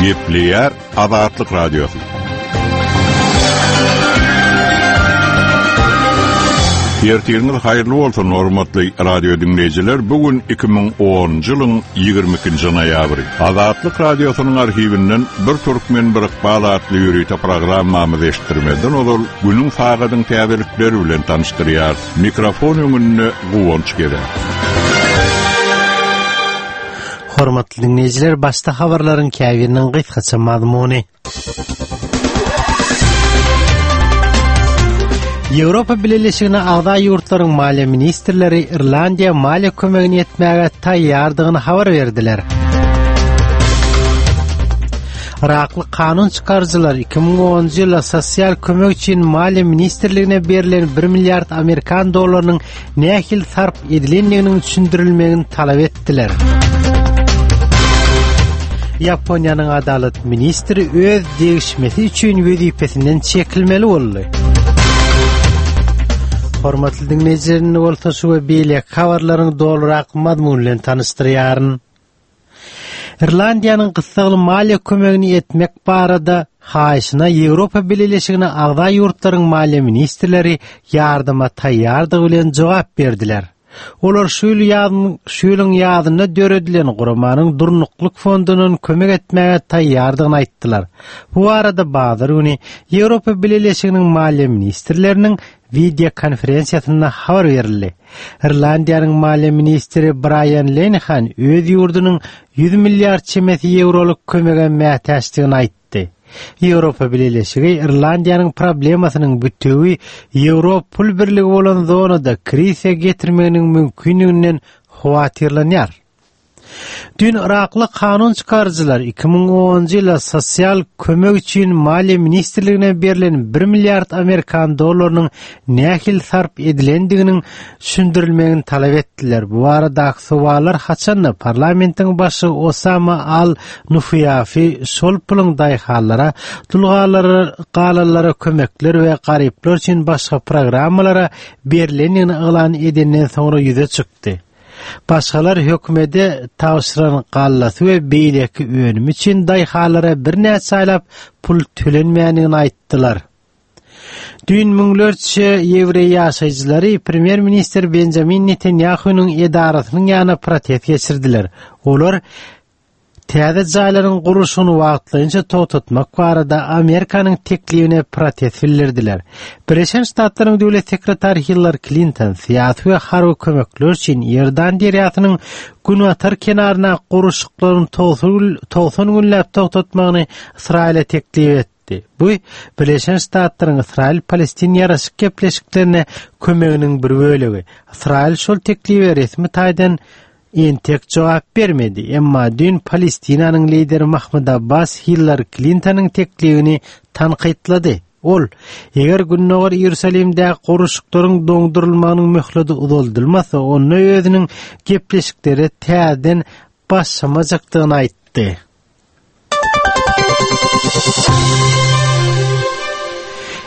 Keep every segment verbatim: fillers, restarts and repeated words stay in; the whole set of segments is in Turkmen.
Gepleýär Azatlyk Radiosy. Ertiriňiz haýyrly bolsun, hormatly radio dinleýjiler. Bu gün iki müň onunjy ýylyň ýigrimi ikinji noýabry. Azatlyk Radiosynyň arhiwinden bir türkmen bir ykbal atly ýörite programmamyzy eşitdirmezden ozal günüň sagadyň täzelikleri bilen tanyşdyrýar. Mikrofon öňünde Guwanç Gezer. Hormatly dinleýjiler, başda habarlaryň käbiriniň gysgaça mazmuny. Ýewropa Bileleşigine agza ýurtlaryň maliýe ministrleri Irlandiýa maliýe kömegini etmäge taýýardygyny habar berdiler. Irakly kanun çykaryjylar iki müň onunjy ýylda sosial kömek üçin maliýe ministrligine berlen bir milliard amerikan dollarynyň nähili sarp edilendiginiň düşündirilmegini talap etdiler. Ýaponiýanyň adalat ministri öz degişmesi üçin wezipesinden çekilmeli boldy. Hormatly dinleýjiler, bolsa şu we beýleki habarlaryň dolurak mazmuny bilen tanyşdyrýaryn. Irlandiýanyň gyssagly maliýe kömegini etmek barada haýyşyna Ýewropa Bileleşigine agza ýurtlaryň maliýe ministrleri ýardyma taýýardygy bilen jogap berdiler. Olar şu ýyl ýazyn, şu ýylyň ýazynda döredilen guramanyň durnuklyk fondundan kömek etmäge taýýardygyny aýtdylar. Bu barada bazar güni Ýewropa Bileleşiginiň maliýe ministrleriniň video konferensiýasynda habar berildi. Irlandiýanyň maliýe ministri Brian Lenihan öz ýurdunyň ýüz milliard çemesi ýewrolyk kömege mätäçdigini aýtdy. Ýewropa Bileleşigi Irlandiýanyň problemasynyň bütewi ýewro pul birligi bolan zonada krize getirmeginiň mümkinliginden howatyrlanýar. Dün Irakly kanun çykaryjylar iki müň onunjy ýylda sosial kömek üçin maliýe ministrligine berlen bir milliard amerikan dollarynyň nähili sarp edilendiginiň düşündirilmegini talap etdiler. Bu baradaky sowallar haçanda parlamentiň başy Osama Al-Nufiýafi şol puluň daýhanlara, dulgalara, galanlara kömekler we garyplar üçin başga programmalara berilendigini yglan edenden soňra ýüze çykdy. Başgalar hökümete tabşyran gallasy we beýleki önüm üçin daýhanlara birnäçe aýlap pul tölenmändigini aýtdylar. Dün müňlerçe ýewreý ýaşaýjylary premýer-ministr Benjamin Netanyahu'nyň edarasynyň ýanyna protest geçirdiler. Olar täze jaýlaryň gurluşygyny wagtlaýynça togtatmak barada Amerikanyň teklibine protest bildirdiler. Birleşen Ştatlaryň döwlet sekretary Hillary Clinton syýasy we harby kömekler üçin Iordan derýasynyň günbatar kenaryna gurluşyklaryň togsan günläp togtatmagyny Ysraýyla teklip etdi. Bu Birleşen Ştatlaryň Ysraýyl-Palestin ýaraşyk gepleşiklerine kömeginiň bir bölegi. Ysraýyl şol teklibe resmi taýdan entek jogap bermedi. Emma dün Palestinanyň lideri Mahmud Abbas Hillary Clintonyň teklibini tankytlady. Ol, eger Gündogar Iýerusalimdäki gurluşyklaryň doňdurylmagynyň möhleti uzaldylmasa, onda özüniň gepleşiklere täzeden başlamajakdygyny aýtdy.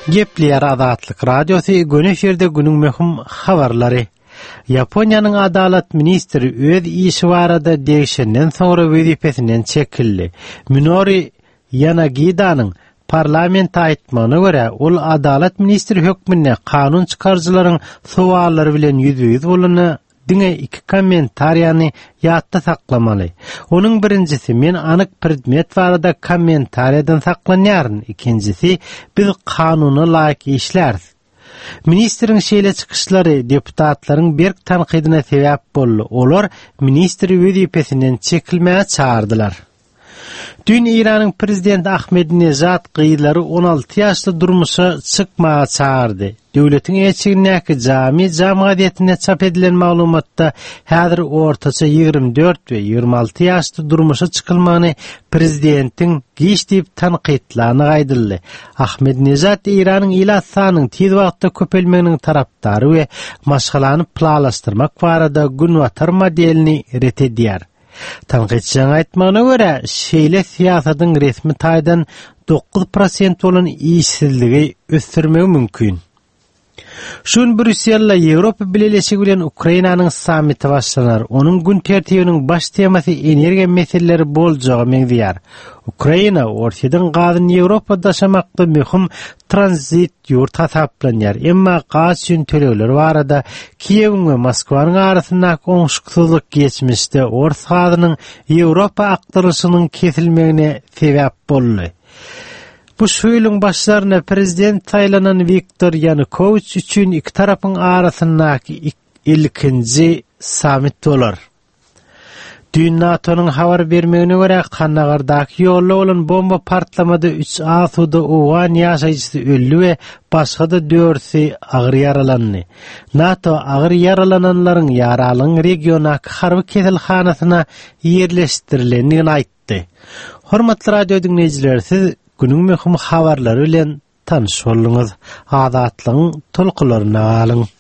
Gepleýär Azatlyk Radiosy, göni efirde günüň möhüm habarlary. Ýaponiýanyň adalat ministri öz işi barada degişenden soňra wezipesinden çekildi. Minori Ýanagidanyň parlamente aýtmagyna görä, ol adalat ministri hökmünde kanun çykaryjylaryň sowallary bilen ýüzbe-ýüz bolanda diňe iki kommentariýany ýatda saklamaly. Onuň birinjisi, men anyk predmet barada kommentariýadan saklanýaryn. Ikinjisi, biz kanuna laýyk işläris. Ministriň şeýle çykyşlary deputatlaryň berk tankydyna sebäp boldy. Olar ministri wezipesinden çekilmäge çagyrdylar. Dün Eýranyň prezidenti Ahmedinejad gyzlary on alty ýaşda durmuşa çykmaga çagyrdy. Döwletiň eçigindäki Jami Jam gazetinde çap edilen maglumatda häzir ortaça ýigrimi dört we ýigrimi alty ýaşda durmuşa çykylmagyny prezidentiň giç diýip tankytlany aýdyldy. Ahmedinejad Eýranyň ilat sanynyň tiz wagtda köpelmeginiň tarapdary we maşgalany planlaşdyrmak barada günbatar modelini ret edýär. Tankytçynyň aýtmagyna görä, şeýle syýasatyň resmi taýdan dokuz prosent bolan işsizligi ösdürmegi mümkin. Şu gün Brýusselde Ýewropa Bileleşigi bilen Ukrainanyň sammiti başlanar. Onuň gün tertibiniň baş temasy energiýa meseleleri boljaga meňzeýär. Ukraina Orsýetiň gazyny Ýewropa daşamakda möhüm tranzit ýurt hasaplanýar. Emma gaz üçin tölegler barada Kiýewiň we Moskwanyň arasyndaky oňşuksyzlyk geçmişde ors gazynyň Ýewropa akdyrylyşynyň kesilmegine sebäp boldy. Bu şu ýylyň başlarynda prezident saýlanan Wiktor Ýanukowiç üçin iki tarapyň arasyndaky ilkinji sammit bolar. Düýn NATO-nyň habar bermegine görä, Kandagardaky ýolda bolan bomba partlamada üç asuda owgan ýaşaýjysy öldi we başga-da dördüsi agyr ýaralandy. NATO agyr ýaralananlaryň ýaralygyň regiondaky harby keselhanasyna ýerleşdirilendigini aýtdy. Hormatly radio diňleýjiler, siz günüň möhüm habarlary bilen tanyş bolduňyz. Azatlygyň tolkunlarynda galyň.